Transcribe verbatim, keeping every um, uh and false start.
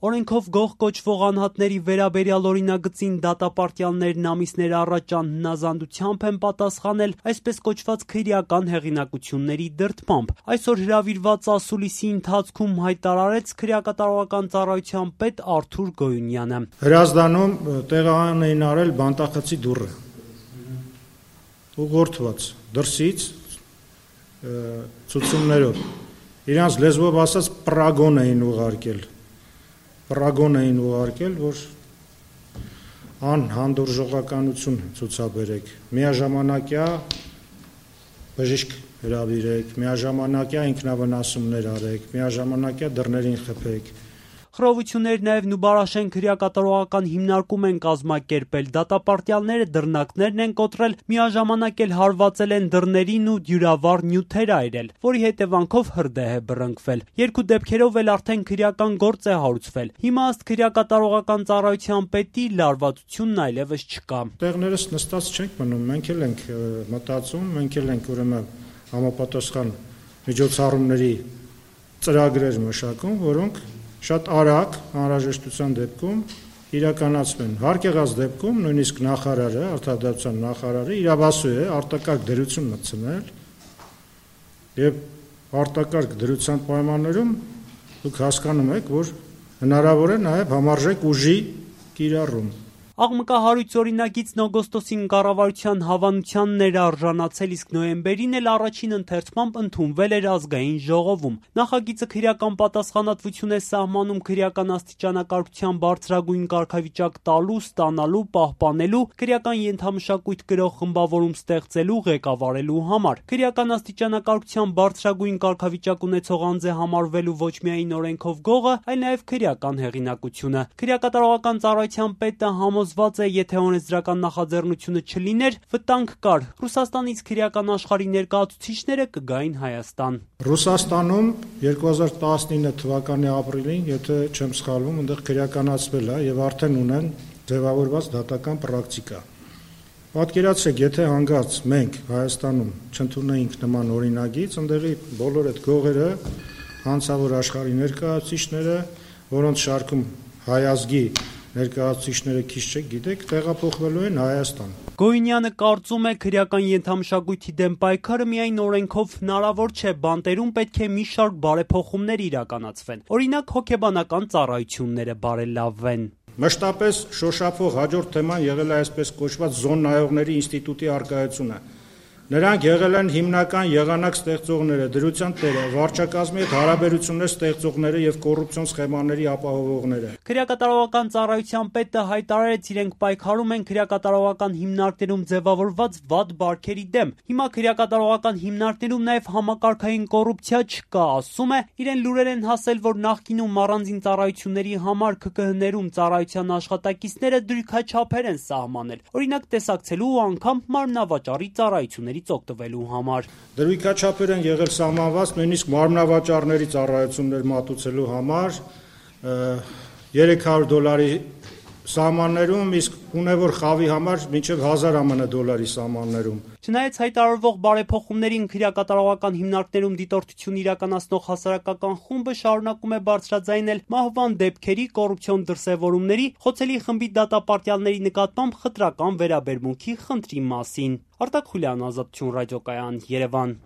Օրենքով գող կոչվող անհատների վերաբերյալ օրինագծին դատապարտյալներն ամիսներ առաջ անհնազանդությամբ են պատասխանել այսպես կոչված քրեական հեղինակությունների դրդմամբ։ Այսօր հրավիրված ասուլիսի ընթացքում հայտարարեց քրեակատարողական ծառայության պետ Արթուր Գոյունյանը։ Հրազդանում տեղական էին արել բանտախցի դուռը, ուղղորդված դրսից ցուցումներով, իրանց լեզվով ասած պրագոն էին ուղարկել, պրագոն էին ուղարկել, որ անհանդուրժողականություն ցուցաբերեք, միաժամանակյա բժիշկ հրավիրեք, միաժամանակյա ինքնավնասումներ արեք, միաժամանակյա դռներին խփեք։ Խռովություններ նաև Նուբարաշեն քրեակատարողական հիմնարկում են կազմակերպել, դատապարտյալները դռնակներն են կոտրել, միաժամանակ էլ հարվածել են դռներին ու դյուրավառ նյութեր այրել, որի հետևանքով հրդեհ է բռնկվել։ Երկու դեպքերով էլ արդեն քրեական գործ է հարուցվել։ Հիմա ըստ քրեակատարողական ծառայության պետի լարվածությունն այլևս չկա։ Տեղներս նստած չենք մնում, մենք էլ ենք մտածում, մենք էլ ենք ուրեմն համապատասխան միջոցառումների ծրագրեր մշակում, որոնք շատ արագ անհրաժեշտության դեպքում իրականացվեն։ Հարկ եղած դեպքում նույնիսկ նախարարը, արտադրության նախարարը իրավասու է արտակարգ դրություն մտցնել եւ արտակարգ դրության պայմաններում դուք հասկանում եք, որ հնարավոր է նաեւ համարժեք ուժի կիրառում։ Աղմկահարույց օրինագիծն օգոստոսին կառավարության հավանությանն էր արժանացել, իսկ նոյեմբերին էլ առաջին ընթերցմամբ ընդունվել էր ազգային ժողովում։ Նախագիծը քրեական պատասխանատվություն է սահմանում քրեական աստիճանակարգության բարձրագույն կարգավիճակ տալու, ստանալու, պահպանելու, քրեական ենթամշակույթ կրող խմբավորում ստեղծելու, ղեկավարելու համար։ Քրեական աստիճանակարգության բարձրագույն կարգավիճակ ունեցող անձ է համարվելու ոչ միայն օրենքով գողը, այլ նաև քրեական հեղինակությունը։ Քրեակատարողական ծառայության պետը համոզված է, եթե օրենսդրական նախաձեռնությունը չլիներ, վտանգ կար։ Ռուսաստանից քրեական աշխարհի ներկայացուցիչները կգային Հայաստան։ Ռուսաստանում երկու հազար տասնինը թվականի ապրիլին, եթե չեմ սխալվում, այնտեղ քրեականացվել է եւ արդեն ունեն ձևավորված դատական պրակտիկա։ Պատկերացրեք, եթե հանգած մենք Հայաստանում չընդունեինք նման օրինագիծ, այնտեղի բոլոր այդ գողերը, հանցավոր աշխարհի ներկայացուցիչները, որոնց շարքում հայ ազգի ներկայացուցիչները քիչ չեք գիտեք, տեղափոխվելու են Հայաստան։ Գոյունյանը կարծում է, քրեական ենթամշակույթի դեմ պայքարը միայն օրենքով հնարավոր չէ, բանտերում պետք է մի շարք բարեփոխումներ իրականացվեն։ Օրինակ, հոգեբանական ծառայությունները բարելավվեն։ Մշտապես շոշափող հաջորդ թեման եղել է այսպես կոչված զոն նայողների ինստիտուտի առկայությունը։ Նրանք եղել են հիմնական եղանակ ստեղծողները, դրության տերը, վարչակազմի հետ հարաբերություններ ստեղծողները եւ կոռուպցիոն սխեմաների ապահովողները։ Քրեակատարողական ծառայության պետը հայտարարեց, իրենք պայքարում են քրեակատարողական հիմնարկներում ձևավորված վատ բարքերի դեմ։ Հիմա քրեակատարողական հիմնարկներում նաեւ համակարգային կոռուպցիա չկա, ասում է, իրեն լուրեր են հասել, որ նախկինում առանձին ծառայությունների համար K K H-ներում ծառայության աշխատակիցները դրույքաչափեր են սահմանել։ Օրինակ տեսակցելու ու անգամ մարմնավաճառի ծառայությունների օգտվելու համար։ Դրույքաչափեր են եղել սահմանված նույնիսկ մարմնավաճառների ծառայություններ մատուցելու համար երեք հարյուր դոլարի սահմաններում, իսկ ունևոր խավի համար մինչև հազար ԱՄՆ դոլարի սահմաններում։ Չնայած հայտարարվող բարեփոխումներին քրեակատարողական հիմնարկներում դիտորդություն իրականացնող հասարակական խումբը շարունակում է բարձրաձայնել մահվան դեպքերի, կոռուպցիոն դրսևորումների, խոցելի խմբի դատապարտյալների նկատմամբ խտրական վերաբերմունքի խնդրի մասին։ Արտակ Խուլյան, Ազատություն ռադիոկայան, Երևան։